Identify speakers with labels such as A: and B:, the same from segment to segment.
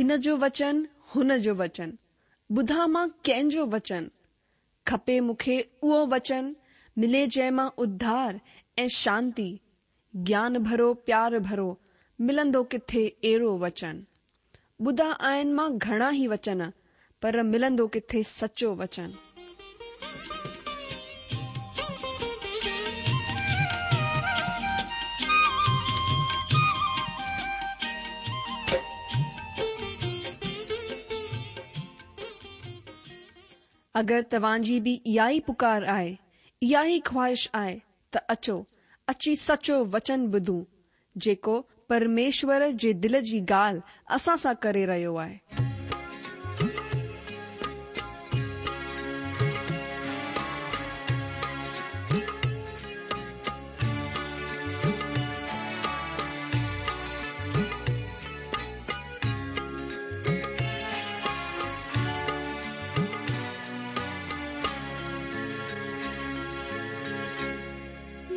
A: هن جو وچن، هن جو وچن، ٻڌان مان ڪنهن جو وچن؟ کپي مون کي اهو وچن، ملي جنهن مان اڌار ۽ شانتي، گيان ڀرو پيار ڀرو، ملندو ڪٿي اهڙو وچن؟ ٻڌا آهن مان گهڻا ئي وچن، پر ملندو ڪٿي سچو وچن؟ اگر توهان جي به اها ئي پڪار آهي، اها ئي خواهش آهي ته اچو، اچي سچو وچن ٻڌون، جيڪو پرميشور جي دل جي ڳالهه اسان سان ڪري رهيو آهي.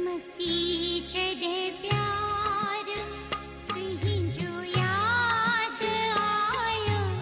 B: مسيح جڏهن پيار تنهنجو ياد آيو.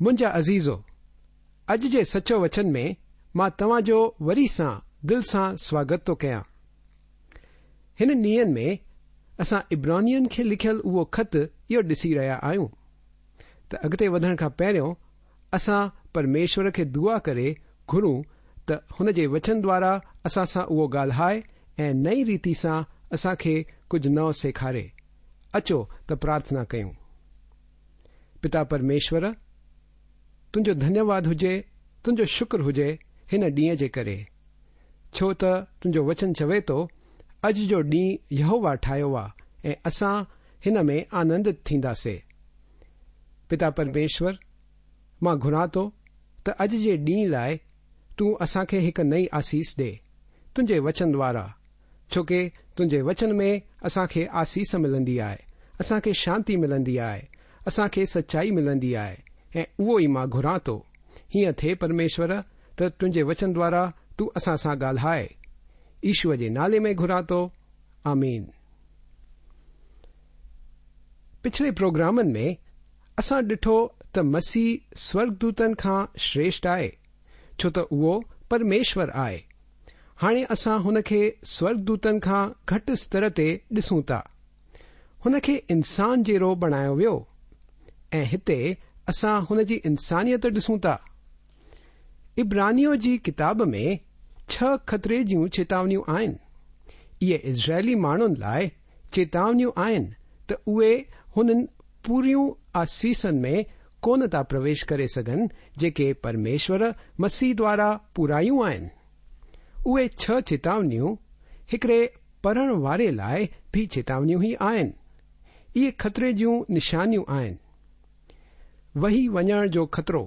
B: منهنجا عزيزو، اڄ جي سچو وچن ۾ مان توهان جو وري سان دل سان سواگت ٿو ڪيان. هن ڏينهن ۾ اسان عبرانين کي لکيل اهو خط اهو ڏسي رهيا آهيون ته اڳتي وڌڻ کان پهريون اسان پرميشور کي دعا ڪري گهرون ته هن جي وچن دوارا اسان سان اهو ڳالهائي ۽ نئين ريتي سان اسان کي ڪجهه نئون سيکاري. اچو ته پرارٿنا ڪيون. پتا پرميشور، تنهنجو ڌنيواد هجي، تنهنجو شڪر هجي هن ڏينهن جي ڪري، ڇو ته تنهنجو وچن چوي ٿو، اڄ جو ڏينهن يهووا ٺاهيو آ ۽ اسان هن ۾ آنندت ٿينداسي. پتا پرميشور، مان گهران ٿو ته اڄ جي ڏينهن لاء تون اسان کي هڪ نئين آسيس ڏي، تنهنجي وچن دوارا، ڇو ڪي تنهنجي وچن ۾ اسان کي آسيس ملندي آهي، اسان کي شانتي ملندي آهي، اسان کي سچائي ملندي آهي ۽ اهو ئي مان گهران ٿو. هيئن ٿئي پرميشور ته تنهنجي وچن دوارا تون اسان سان ڳالهاء. يشوع جي نالي ۾ گهران ٿو. آمين. پڇلي پروگرامن ۾ اسان ڏٺو ته مسيح سورڳدوتن کان شريشٽ آهي، ڇو ته اهو پرميشور آهي. هاڻي اسان هن کي سورڳدوتن کان گهٽ استر تي ڏسون ٿا. هن کي انسان جهڙو بڻايو ويو ۽ هتي اسان هن جي انسانيت ڏسون ٿا. عبرانيون جي ڪتاب ۾ ڇهه خطري جون چيتاونيون آهن. اهي اسرائيلي ماڻهن لاء چيتاونيون آهن ته اهي هنن پوريون آسيسن ۾ ڪونه ٿا پرويش ڪري سگهن جيڪي پرميشور مسيح دوارا پورايون آهن. اهي ڇهه چيتاونيون هڪڙي پڙهڻ واري لاء به چيتاونيون ئي آهن. اهي خطري جون نشانيون آهن. وهي وڃڻ جو خطرو،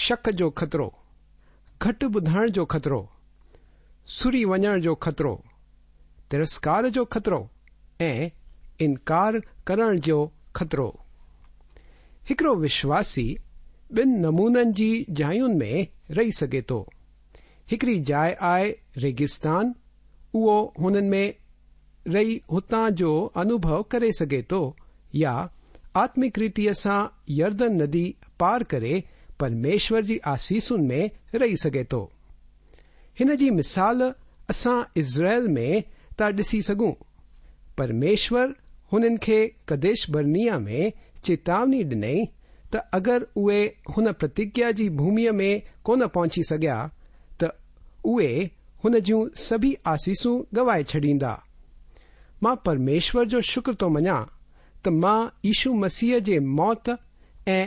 B: شڪ جو خطرو، گهٽ ٻڌڻ جو خطرو، سري وڃڻ جو خطرو، ترسڪار جو خطرو ۽ انڪار ڪرڻ جو خطرو. هڪڙو وشواسي ٻن نمونن جي جاين ۾ رهي سگهي ٿو. هڪڙي جاء آهي ريگستان، اهو هنن ۾ رهي هتان جو انوڀو ڪري سگهي ٿو يا آتمڪ ريتيء سان يردن ندي پار ڪري پرميشور جي آسيسن ۾ رهي سگهي ٿو. هن جي مثال اسان اسرائيل ۾ ٿا ڏسي سگهون. پرميشور هنن کي قديش برنيا ۾ چيتاوني ڏني ته اگر اهي هن پرتگيا جي ڀوميء ۾ ڪونه پهچي سگهيا ته اهي هن جون سڀئي آسيسون گنوائي ڇڏيندا. مان پرميشور جو شڪر ٿو مڃان ته مان يشو مسيح جي موت ۽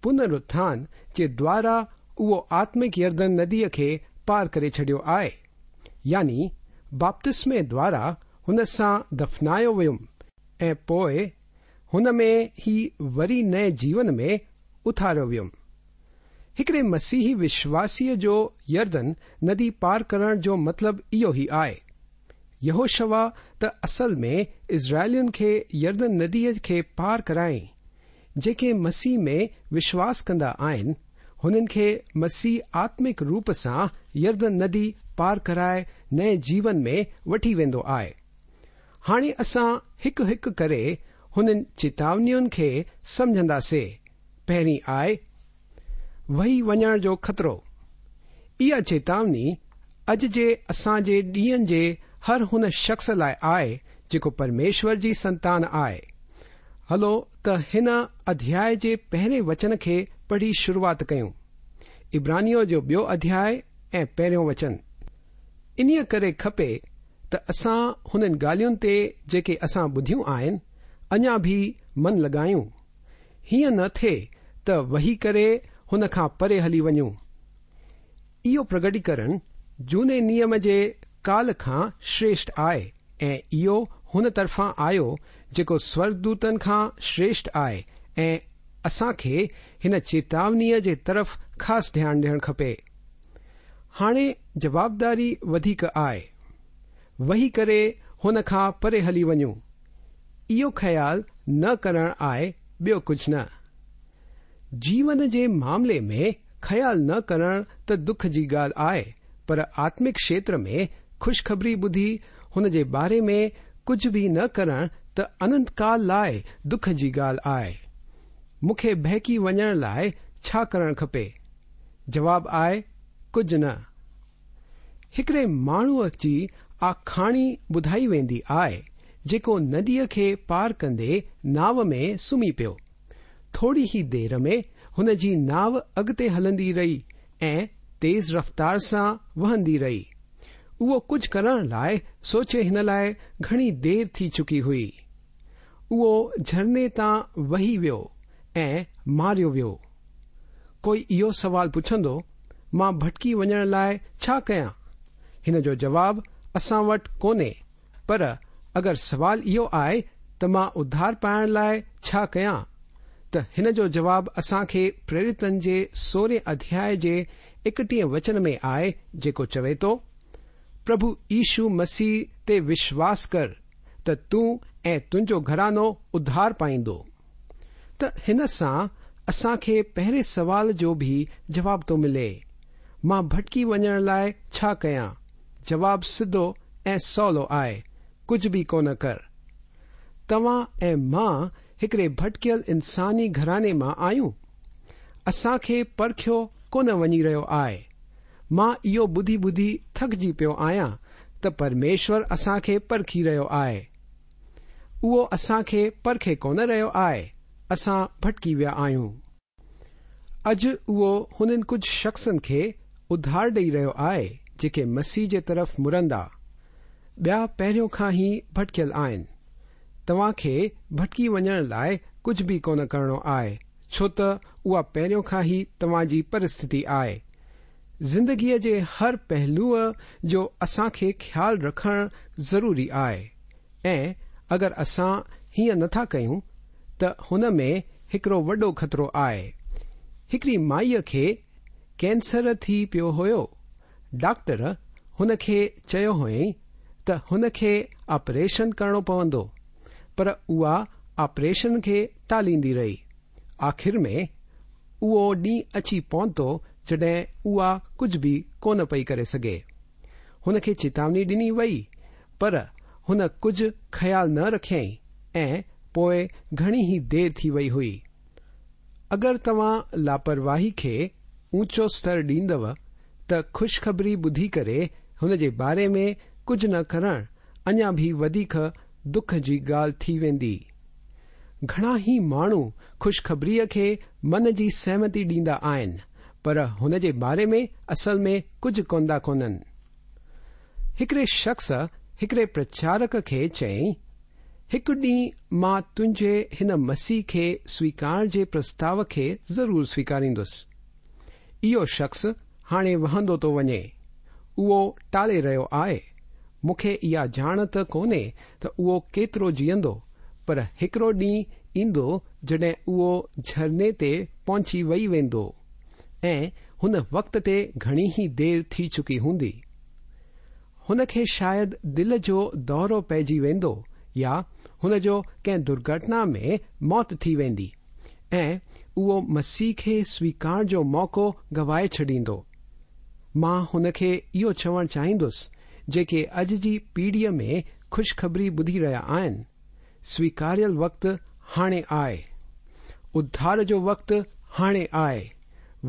B: پنرٿان جي دوارا اهو آتمڪ يردن نديء کي پار ڪري ڇڏيو آهي، يعني بپتسمي دوارا هن سان دفنايو ويم ۽ پوء هن ۾ ئي وري نئين جيون ۾ اٿاريو ويم. هڪڙي مسيحي وشواسيء جو يردن ندي پار ڪرڻ جو مطلب اهو ئي آهي. يهوشوع ته اصل ۾ اسرائيلين کي يردن نديء کي پار ڪرايائين. جيڪي مسيح ۾ وشواس ڪندا آهن، هنن کي مسيح آتمڪ روپ سان يردن ندي پار ڪرائي نئين جيون ۾ وٺي ويندو آهي. هاڻي اسان هڪ هڪ ڪري هنن چيتاونين کي سمجهنداسي. پهرين آهي، وهي وڃڻ جو خطرو. اها چيتاوني اڄ جي اسان جي ڏينهن جي هر هن شخص لاء آهي جيڪو پرميشور جي سنتان آهي. هلو ته هن اڌياء جي پهرين وچن کي پڙهي شروعات ڪيون. عبرانيون جو ٻيو اڌياء ۽ پهريون وچن. انهيء ڪري کپي ته اسان هنن ڳالهين تي جيڪي اسان ٻڌيون آهن، اڃا به من لڳايون. هيئن نه ٿئي ته وهي ڪري هن کان پري هلي وڃون. اهو پرگٽيڪرڻ جهوني نيم جي ڪال کان شريشٺ آهي ۽ اهو هن طرفان آيو جيڪو سورڳدوتن کان شريشٺ آهي ۽ اسان کي هن چيتاونيء جي طرف خاص ڌيان ڏيڻ کپي. هاڻي جوابداري وڌيڪ آهي. وهي ڪري هن کان پري هلي وڃون. اهو خيال نه ڪرڻ آهي ٻيو ڪجهه نه. جيون جي معاملي ۾ خيال نه ڪرڻ ته دک جي ڳالهه آهي پر آتمڪ کشيتر ۾ خوشخبري ٻڌي هن جي باري ۾ ڪجهه به نه ڪرڻ ته اننت ڪال لاء دک جي ڳالهه آهي. مون کي بهڪي وڃڻ لاء ڇا ڪرڻ کپي؟ جواب آهي ڪجهه نه. هڪڙي ماڻهوء جي آکاڻي ٻڌائي ويندي آهي جيڪو نديء کي پار ڪندي ناو ۾ سمهي پيو. ٿوري ئي دير ۾ هن جي ناو اڳتي هلندي رهي ۽ تيز رفتار سان وهندي رهي. اهو ڪجهه ڪرڻ لاء سوچي هن لاء گهڻي دير ٿي چڪي هئي. اهو جهرني تان وهي ويو ۽ ماريو ويو. ڪوئي اهو سوال پڇندو، مان ڀٽڪي وڃڻ لاء ڇا ڪيان؟ هن جو جواب اسان وٽ ڪونهي، پر اگر سوال اهو آهي ته مان اڌار پائڻ لاء ڇا ڪيان؟ ته هن جو جواب اسان کي پريريتن جي سورهين اڌياء جي ايڪٽيهين وچن ۾ آهي جيڪو چوي ٿو، پرڀو يشو مسيح تي وشواس ڪر ته تون ۽ تنهنجو گهراڻو اڌار پائيندو. ته هن سان اسان کي پهرين سوال جو به جواب ٿو ملي، مان ڀٽڪي وڃڻ لاء ڇا ڪيان؟ جواب سڌو ۽ سولو آهي، ڪجهه به ڪونه ڪر. توهان ۽ مان هڪڙي ڀٽڪيل انساني گهراڻي مان آهيون. اسان کي پرکيو ڪونه وڃي رهيو آهي. مان اهو ٻڌي ٻڌي ٿڪجي پيو آهيان ته پرميشور اسان کي پرکي رهيو آهي. اهو اسان کي پرکي ڪونه رهيو آهي، اسان ڀٽڪي ويا آهيون. اڄ اهو هنن ڪجهه شخصن کي اڌار ڏئي رهيو آهي جيڪي مسيح جي طرف مڙندا. ٻيا پهريون کان ئي ڀٽڪيل آهن. توهان کي ڀٽڪي وڃڻ لاء ڪجهه به ڪونه ڪرڻو آهي، ڇو ته اها پهريون کان ئي توهان جي پرسٿتي آهي. زندگيء جي هر پهلوء جو اسان کي خيال رکڻ ضروري آهي ۽ اگر اسان هيئن نه ٿا ڪيون ته هن ۾ هڪڙو وڏو خطرو آهي. هڪڙي مائيء کي ڪينسر ٿي پيو هيو. ڊاڪٽر هن کي چيو هئائين ته هن کي آپريشن ڪرڻو پوندو پر اها آپريشن کي ٽاليندي رهي. آخر ۾ اهو ڏينهن اچي پهتو جڏهن اها ڪجهه به ڪونه پئي ڪري سگهي. هن کي چيتاوني ڏني وئي پر هن ڪجهه خيال نه رکيائين ۽ پوء گهڻي ئي دير ٿي وئي هئي. اگر توهان لاپرواهي کي اوچو ستر ڏيندؤ ته خوشخبري ٻڌي ڪري هن جي باري ۾ ڪجهه نه ڪرڻ اڃا به وڌيڪ دک جي ڳالهه ٿي ويندي. گهڻا ئي ماڻهو خوشخبريء کي من جي سهمتي ڏيندا آهن، پر هن جي باري ۾ اصل ۾ ڪجهه ڪندا ڪونهن. هڪڙي شخص هڪڙي پرچارڪ کي چيائين، هڪ ڏينهن مان تنهنجي هن مسيح کي سويڪار جي پرستاو کي ضرور سويڪاريندس. اهو شخص هاڻي وهندو ٿو وڃي. اهو ٽالي رهيو آهي. مون کي اها ڄاڻ ته ڪونهي ته اهو ڪيترو جيئندو، پر هڪڙو ڏينهن ايندو جڏهن اهو جهرني تي پهچي وئي ويندو ۽ هن وقت تي گهڻي ئي دير ٿي چڪي هوندي. هن کي شايد دل جو دورو پئجي ويندو يا هن جو ڪنهن درگهٽنا ۾ موت ٿي ويندي ۽ اهو مسيح کي سويڪار جو موقعو گوائي ڇڏيندو. مان هن کي اهو چوڻ چاهيندس جيڪي اڄ جي پيڙهيء ۾ خوشخبري ٻڌي رهيا آهن، سويڪاريل وقت هاڻي آهي. اڌار جو وقت هاڻي آهي.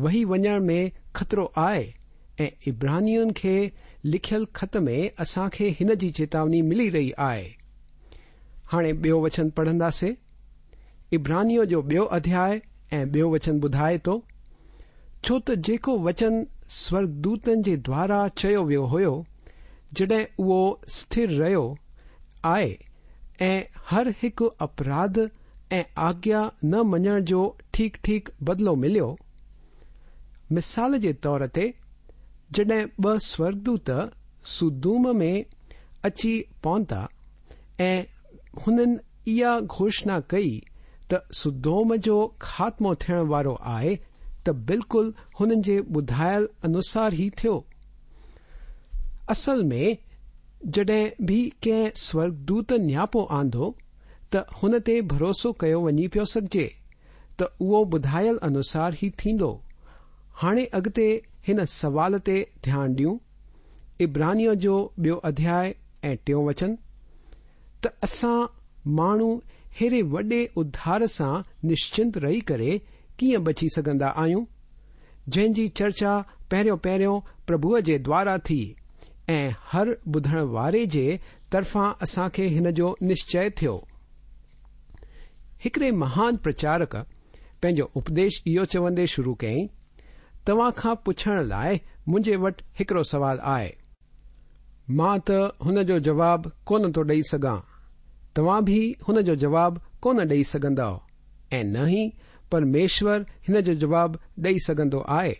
B: وهي وڃڻ ۾ خطرو آهي ۽ عبرانين کي لکيل خط ۾ اسان کي هن جي چيتاوني ملي رهي آهي. هاڻي ٻيو وچن پڙهنداسين. عبرانيون جو ٻيو اڌياء ۽ ٻيو وچن ٻڌائي ٿو، ڇو ته جيڪو وچن سورڳدوتن جي دوارا چيو ويو هيو، جڏهن اهو سٿر رهيو آهي ۽ هر هڪ اپراڌ ۽ آگيا نه مڃڻ جو ٺيڪ ٺيڪ بدلو مليو. مثال جي طور تي، جڏهن ٻه سورڳدوت سدوم ۾ اچي پهتا ۽ هنن اها گهوشڻا ڪئي ته سدوم جو خاتمو ٿيڻ وارو آهي ته بلڪل هنن جي ٻڌايل انوسار ئي ٿيو. اصل ۾ جڏهن به ڪنهن سورڳدوت نياپو آندو ته هن تي ڀروسو ڪيو وڃي پيو سگهجي ته اهو ٻڌايل انوسار ئي ٿيندو. هاڻي اڳتي هن سوال تي ڌيان ڏيون. عبرانيون جو ٻيو اڌياء ۽ ٽيون وچن. ته اسان ماڻهو ههڙي وڏي اڌار سان نشچنت رهي ڪري ڪيئن بچي سگهندا آهيون؟ جنهن جي چرچا پهريون پهريون پرڀوء جي دوارا ٿي ۽ هر ٻڌڻ واري جي طرفان اسان کي هن جو نشچي ٿيو. هڪڙي مهان پرچارڪ پنهنجو اپديش اهو چوندي شروع ڪيائين، توهان کان پڇڻ لاء منهنجي وٽ هڪڙو سوال آهي. مان ته هن جو جواب ڪونه ٿو ڏئي سگهان. توهان به هن جو جواب ڪونه ڏئي سگهندؤ ۽ نه ئي پرميشور هن جو جواب ڏئي سگهندو آهي.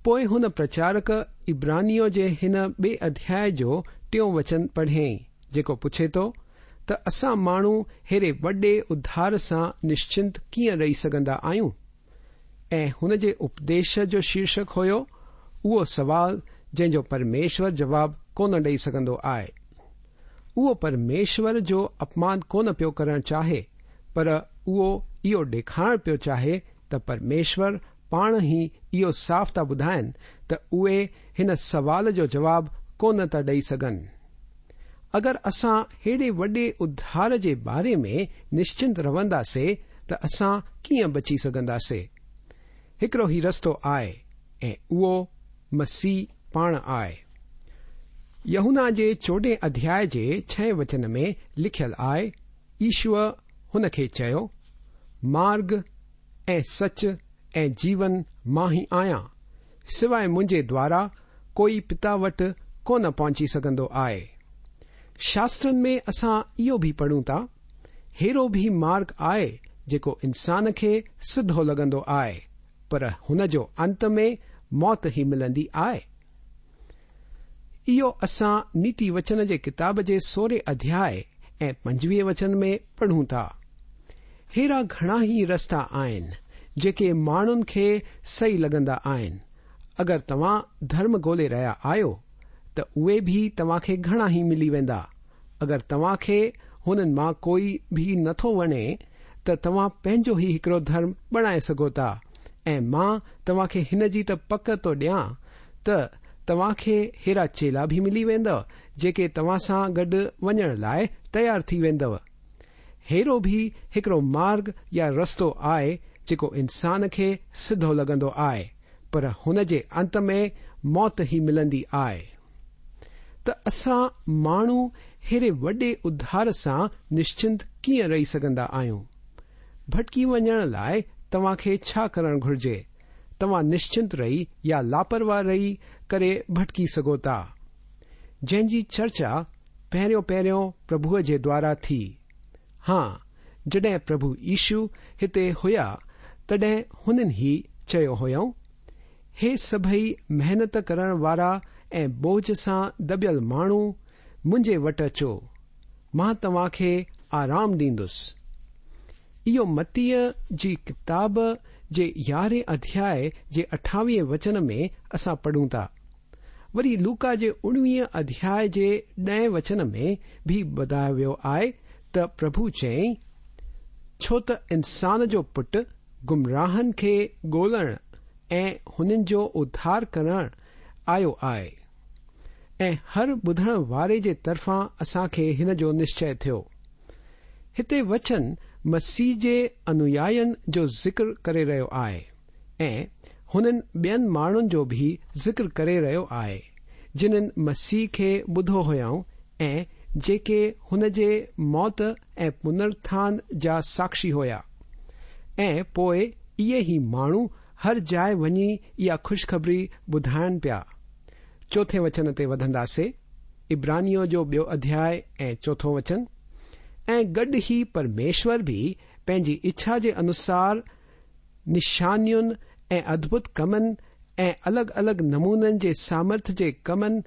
B: پوء هن پرچارڪ عبرانيون جي هن ٻئي اڌياء جو ٽيون وچن پڙهيائين، جيڪو پڇي ٿو ته اسان ماڻهو ههڙي وڏي اڌار سان نشچنت ڪيئن رهي سگهندا آهيون؟ ۽ هن جي اپديش جو شيرشڪ هيو، اهو سوال جنهن جو پرميشور جواب ڪونه ڏئي سگهندو آهي. اهو پرميشور جو اپمان ڪونه پيو ڪرڻ چاهي، پر اهو اهو ڏيکارڻ پيو چاهي ته پرميشور پاڻ ئي اهو صاف ٿا ٻڌائن ته اهي هن سوال جو جواب ڪونه ٿا ڏئي سگهن. اگر اسان ههڙي وڏي اڌار جي باري ۾ نشچنت رهنداسي ته اسان ڪيئن بچي سگهنداسي؟ هڪڙو ئي رستو آهي ۽ اهو مسيح پاڻ آهي. يوحنا جي چوڏهين اڌياء جي ڇهين وچن ۾ لکيل آهي، يشوع هن کي چيو، مارگ ۽ سچ ۽ جيون مان ئي آهيان، سواء منهنجي دوارا ڪوئي پتا وٽ ڪونه پهچي سگهندو آهي. شاسترن ۾ اسان اهو به پڙهون ٿا، ههڙو به مارگ آهي جيڪو انسان کي سڌو لڳندو آهي، پر هن جو انت ۾ موت ئي ملندي آهي. اهو اسان نيتي وچن جي ڪتاب جي سورهين اڌياء ۽ پنجويهين وچن ۾ پڙهون ٿا. ههڙا گهڻا ئي رستا آهن جيڪي ماڻهن کي صحيح لڳندا آهن. اگر توهان ڌرم ڳولي رهيا آهيو ته اهي به توهان کي گهڻا ئي ملي ويندا. اگر توهان کي هنن مان ڪوئي به نه ٿو وڻي ته توهان پنهنجو ئي هڪڙو ڌرم بڻائي سگهو ٿا ۽ مان توهان کي هن جي ته پڪ ٿو ڏيان ته توهان کي ههڙا چيلا به ملي ويندؤ جيڪي توهان سان گڏ وڃڻ لاء تيار ٿي ويندؤ. ههڙو به هڪڙو مارگ يا رستو آهي جيڪو انسان کي سڌو لڳندو آهي پر هن جي انت ۾ موت ئي ملندي آهي. ته اسان ماڻهو ههڙي وڏي اڌار سان نشچنت ڪيئن رهي سگهندا آهيون؟ ڀٽڪي وڃڻ لاء توهان کي ڇا ڪرڻ گهرجي؟ توهان نشچنت رهي يا لاپرواهه رهي ڪري ڀٽڪي سگهو ٿا. جنهن جي چرچا پهريون پهريون پرڀوء جي دوارا ٿي. ها، جڏهن پرڀو يشو هتي هيا تڏهن هنن هي چيو هيائون، هي سڀئي محنت ڪرڻ وارا ۽ بوجه سان دٻيل ماڻهو منهنجي وٽ اچو، مان توهان کي آرام ڏيندس. اهو متيء جي ڪتاب جي يارهين اڌياء جي اٺاويهين وچن ۾ اسان پڙهون ٿا. وري لوڪا جي اڻويهين اڌياء جي ڏهين وچن ۾ به ٻڌايو ويو آهي ته پرڀو چيائين، ڇو ته انسان جو پٽ گمراهن کي ڳولڻ ۽ هنن جو اڌار ڪرڻ آيو آهي. ۽ هر ٻڌڻ واري جي طرفان اسان کي هن جو نشچي ٿيو. هتي وچن مسيح جي انويائين جو ذڪر ڪري رهيو آهي ۽ هنن ٻين ماڻهن جو به ذڪر ڪري رهيو آهي جنن مسيح کي ٻڌو هيائون ۽ جيڪي هن جي موت ۽ پنرٿان جا ساکشي هيا ۽ پوء اهي ئي ماڻهو هر جاء وڃي اها خوشخبري ٻڌائن پيا. چوٿين وچن تي وڌنداسي، عبرانيون جو ٻيو اڌياء ۽ چوٿون وچن، ۽ گڏ ئي پرميشور به پنهنجي اڇا جي انوسار نشانين ۽ ادڀت ڪمن ۽ الڳ الڳ نمونن جي سامرٿ جي ڪمن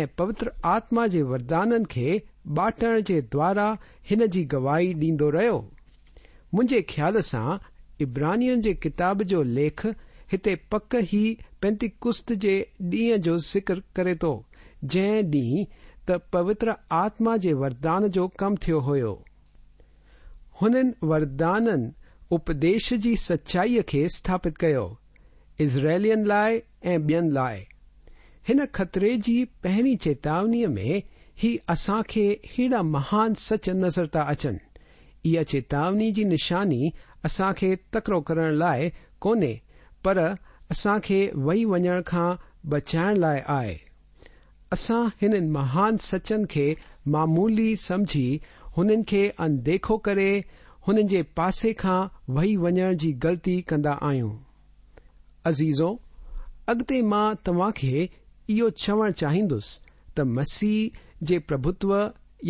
B: ۽ پوتر آتما جي وردانن کي باٽڻ جي دوارا هن جي گواهي ڏيندو رهيو. منهنجي خيال سان عبرانين جي ڪتاب جو ليک هتي پڪ ئي پينتيڪست جي ڏينهن جو ذڪر ڪري ٿو جنهن ڏينهن ته پوتر آتما جي وردان جو ڪم ٿيو هيو. هنن وردانن اپديش جي سچائيء کي اسٿاپت ڪيو، اسرائيلين لاء ۽ ٻين لاء. هن خطري جي پهرين چيتاونيء ۾ ئي اسان کي ههڙا مهان سچ نظر ٿا اچن. اها چيتاوني جي نشاني اسان کي تڪڙو ڪرڻ لاء ڪونهي پر اسان کي وهي وڃڻ کان بچائڻ لاء آهي. اسان هنن مهان سچن کي معمولي سمجهي هنن کي اڻديکو ڪري هنن جي پاسي کان وهي وڃڻ جي غلطي ڪندا آهيون. عزيزو! اڳتي مان توهان کي اهو چوڻ چاهيندس ته مسيح جي پرڀوتو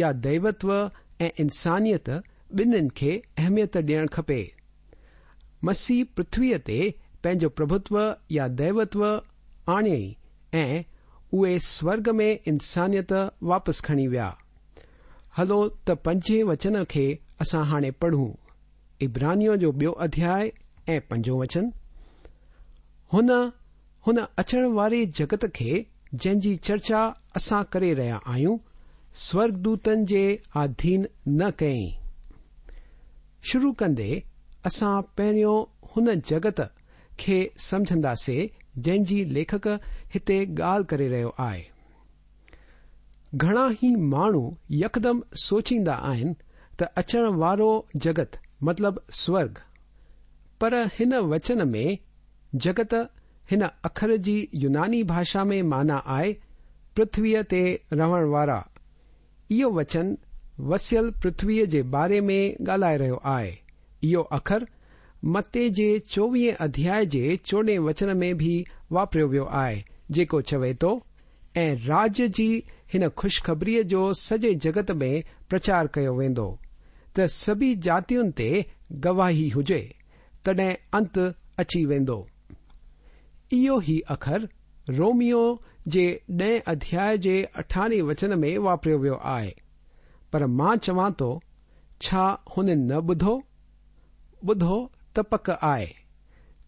B: يا ديوتو ۽ انسانيت ٻنهين کي اهميت ڏيڻ کپي. مسيح پرٿويء تي پنهنجو پرڀوتو يا ديوتو آڻيائين ۽ اهي سورڳ ۾ انسانيت واپس کڻي ويا. هلو ته پنجين وچن کي اسان هاڻي پڙهون. عبرانيون جو ٻيو اڌياء ۽ پنجون وچن. هن هن اچڻ واري جڳت کي جنهن جي چرچا اسان ڪري رهيا آهيون، سورڳدوتن جي آڌين نه ڪيائين. شروع ڪندي اسان پهريون هن جڳت کي سمجهنداسي جنهن جي ليکڪ هتي ڳالهه ڪري رهيو آهي. گهڻا ئي ماڻهو يڪدم سوچيندا آهن ته اچڻ وارو جڳت مطلب سورڳ. پر هن وچن ۾ جڳت هن اکر جي يوناني ڀاشا ۾ معنيٰ آهي پرٿويء تي رهڻ وارا. اهو وچن وسيل پرٿويء جي باري ۾ ڳالهائي رهيو آهي. اهو اکر متي جي چوويهين اڌياء جي چوڏهين وچن ۾ به واپريو ويو آهي جيڪو چوي ٿو، ۽ راڄ جي هن خوشخبريء جو سڄي جڳت ۾ پرچار ڪيو ويندو، ته سڀي جاتين تي گواهي هجي، تڏهن انت اچي ويندو. اهو ئي اکر روميو جي ڏهين اڌياء جي اٺارهين وچن ۾ واپريو ويو آهي. پر مان چوان ٿو، ڇا هنن نه ٻڌو؟ ٻڌو ته پڪ آهي،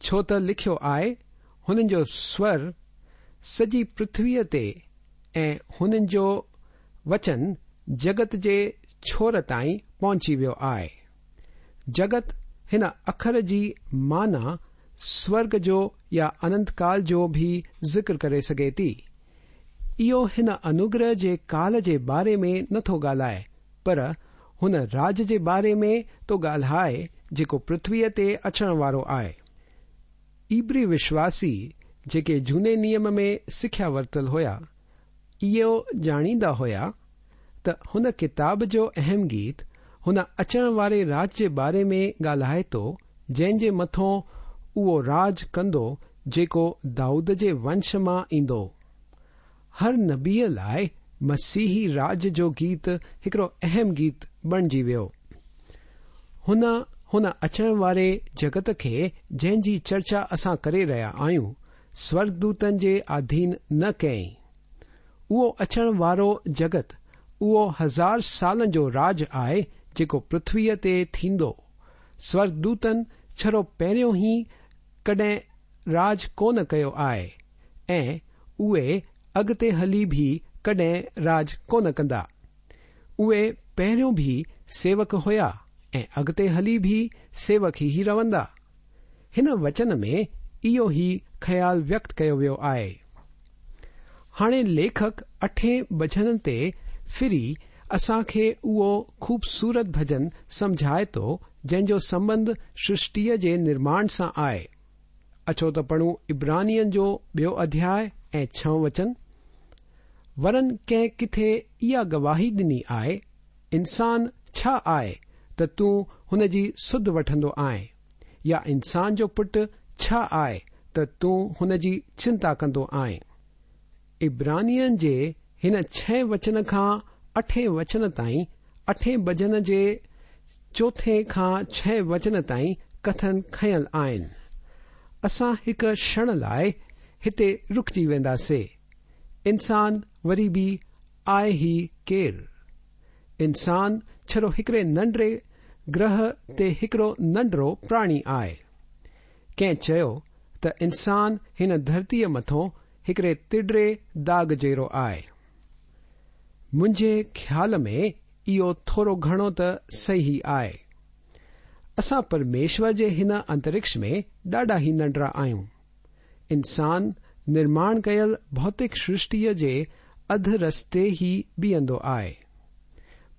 B: ڇو ته لکيو آهي، هنن جو سور سڄي پرٿويء تي ۽ هنن جو وچن جڳت جي ڇور تائين پهچي ويو آهي. جڳت هن اکر جي معنيٰ سورڳ جو يا اننت ڪال جو به ذڪر ڪري سگهي ٿي. اهو هن انوگره جي ڪال جي باري ۾ نه ٿو ڳالهائي پر هن راڄ جي باري ۾ ٿو ڳالهائي جيڪو پرٿويء تي اچڻ وارو آهي. عبري وشواسي جيڪي جهوني نيم ۾ سکيا ورتل هيا، اهو ڄاڻيندا هيا ته هن ڪتاب جو اهم گيت هن اچڻ واري راڄ جي باري ۾ ڳالهائي ٿو جنهن جي مٿون اهو راڄ ڪندو جيڪو دائود جي ونش مان ايندو. هر نبيء لاء مسيحي راڄ جو گيت هڪڙو اهم گيت بڻجي ويو. هن هن اچڻ واري جڳت کي جنهن جي چرچا اسان ڪري رهيا آهيون، سورڳدوتن جي آڌين نه ڪيائين. اهو اچڻ وارو جڳت اهو هزار سالن جو راڄ آهي جيڪو پرٿويء تي ٿيندو. سورڳدوتن ڇڙو پهريون ئي ڪڏهن راڄ ڪونه ڪيو آهي ۽ اهي اڳتي هلي به ڪڏهن راڄ ڪونه ڪندا. اهي پهريون به سيوڪ هيا ۽ اڳتي هلي به سيوڪ ئي رهندا. هن وچن ۾ اهو ئي خيال ويڪت ڪيو ويو آهي. هاڻي ليکڪ اٺين ڀڄن تي ڦري اسان کي اهو خوبصورت ڀڄن سمجهائي ٿو جنهن جو سنٻنڌ سرشٽيء جي نرماڻ سان آهي. اچو ته پڙهون عبرانين جو ٻيو اڌياء ۽ ڇهون وچن. ورن ڪنهن ڪٿي اها گواهي ڏني آهي، انسان ڇا آهي ته تون هن جي سڌ وٺندو آهين، يا انسان جو پٽ ڇا آهي ته تون هن جي چنتا ڪندو آهين؟ عبرانين جي هن ڇهين وچن کان اٺين وچن تائين اٺين ڀڄن جي چوٿين کان ڇهين وچن تائين ڪٿن کنيل آهن. اسان هڪ ڪشڻ لاء هتي رڪجي وينداسي. انسان وري به آهي ئي ڪير؟ انسان ڇڙو هڪڙي ننڍڙي گرهه تي هڪڙو ننڍڙو پراڻي آهي. ڪنهن چيو ته انسان هن ڌرتيء مٿون هڪڙي ٽرڙي داغ جهڙو آهي. منهنجي خيال ۾ اهو ٿورو گهڻو ته صحيح آهي. اسان پرميشور جي هن انترڪش ۾ ڏاڍا ئي ننڍڙا آهيون. انسان نرماڻ ڪيل ڀوتڪ سرشٽيء جي اڌ رستي ئي بيهندو آهي.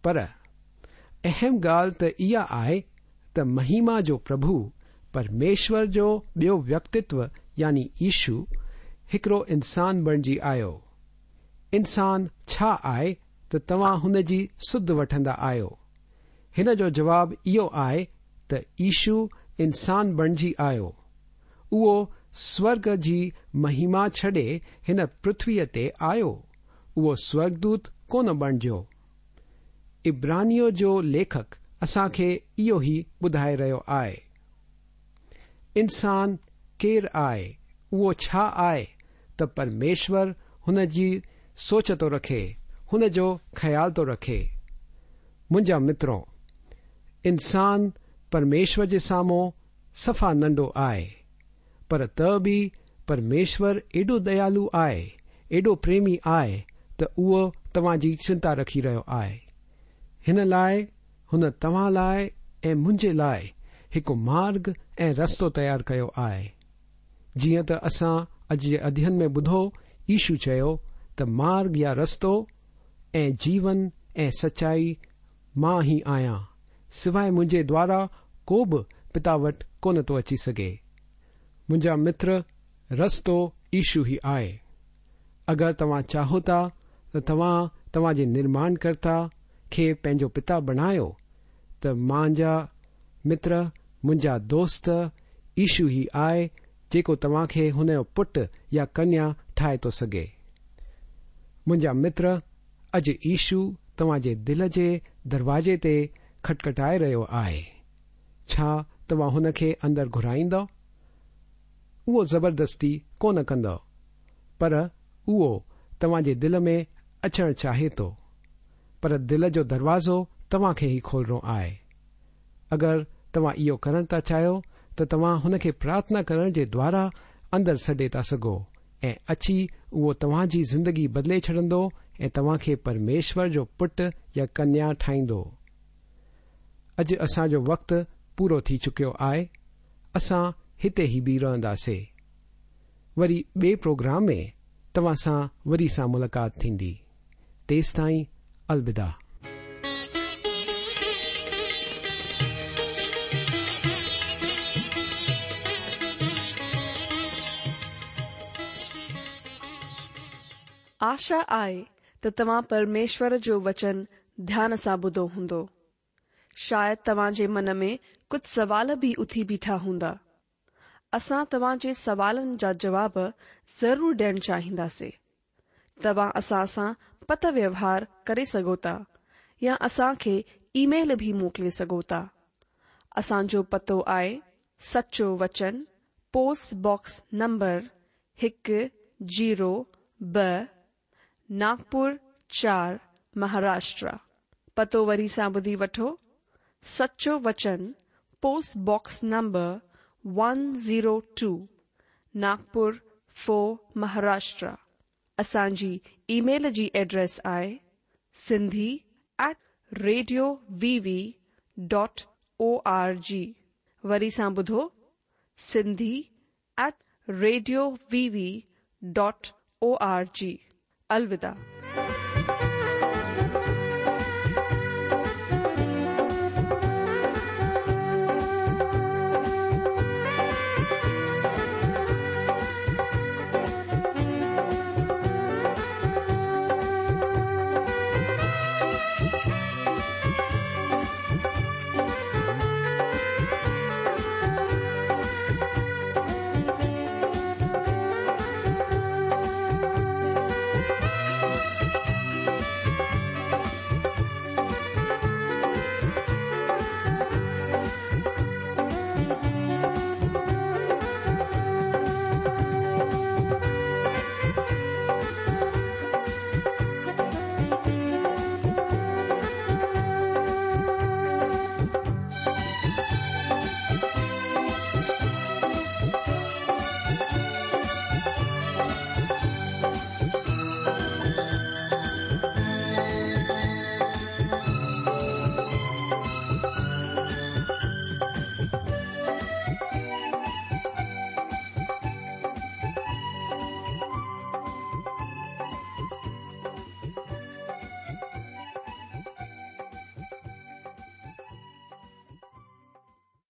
B: پر. اهم ڳالهه ته اها آهي ته مهيما جو پرڀو، پرميشور جو ٻيو ويڪتتو يعني يشو، هڪڙو انسان بڻجي آيو. انسان ڇا آهي ته توهان هن جي سڌ وٺندا آهيو؟ هن جو جواب اهو آهي ته يشو انسان بڻجي آيو. اهو سورڳ جي مهيما ڇڏي هن پرٿويء تي آيو. اهو سورڳدوت ڪونه بڻجيو. عبرانيو جو ليکڪ اسان کي اهو ئي ٻڌائي رهيو آهي. انسان ڪير آهي، اهو ڇا آهي ته پرميشور هن جي سوچ ٿو رکي، هن جو خيال ٿو رکي. منهنجا مترو، انسان پرميشور جي سامهون صفا ننڍو آهي، پر ته به پرميشور ايڏو ديالو آهي، ايڏو پريمي آهي ته اهو توهان جي چنتا رکي رهيو آهي. هن لاء هن توهان لاء ۽ منهنجي لاء هڪ مارگ ۽ رستو تيار ڪيو آهي. جيئن ته اسان اڄ جي اڌين ۾ ٻڌو، يشو چيو ته مارگ يا رستو ۽ جيون ۽ سچائي مان ئي آهيان، سواء منهنجي دوارا ڪو به پتا وٽ ڪونه ٿو اچي سگهي. منهنجا متر، رستو يشو ئي آهي. اگر توهان چاهو ٿا ته توهان توهان جي نرماڻڪرتا کي پنهنجو پتا بڻايو ته منهنجا متر، منهنجا دوست، يشو ئي آهي جيڪو توهان کي هن جو پٽ يا ڪنيا ٺاهي ٿو سگهي. منهنجا متر، اڄ يشو توهان جي دل جي دروازي تي کٽکٽائي رهيو آهي. ڇا توهان هن کي اندر گهرائيندؤ؟ اهو زبردستي ڪونه ڪندو، پر اهو توهان جي دل ۾ اچڻ چاهي ٿو. پر دل جو دروازو توهان کي ئي کولڻو آهي. اگر توهان اهو ڪرڻ ٿا چاهيو ته توهان هن کي پرارٿنا ڪرڻ جي دوارا اندر سڏي ٿا سگهو ۽ اچي اهو توهان جي زندگي بدلي ڇڏندو ۽ توهان کي پرميشور جو پٽ يا ڪنيا ٺاهيندو. اڄ اسان جو وقت پورو ٿي چڪيو آهي، اسان هتي ئي بيهي رهنداسي. وري ٻئي پروگرام ۾ توهان سان وري سان ملاقات ٿيندي. تيستائين الوداع.
A: آشا آهي ته توهان پرميشور جو وچن ڌيان سان ٻڌو هوندو. شايد توهان جي من ۾ ڪجهه سوال به اٿي بيٺا هوندا. اسان توهان جي سوالن جا جواب ضرور ڏيڻ چاهينداسين. توهان اسان سان پتر ويوهار ڪري سگهو ٿا يا اسان کي اي ميل به موڪلي سگهو ٿا. اسان جو پتو آهي سچو وچن پوسٽ باڪس نمبر هڪ زيرو ٻه ناگپور چار مهاراشٽرا. پتو وري سان ٻڌي وٺو سچو وچن post box number one zero two Nagpur four Maharashtra. اسان جي اي ميل جي ايڊريس آهي Sindhi at radio V V dot O R G وري سان ٻڌو Sindhi at radio V V dot O R G. الوداع.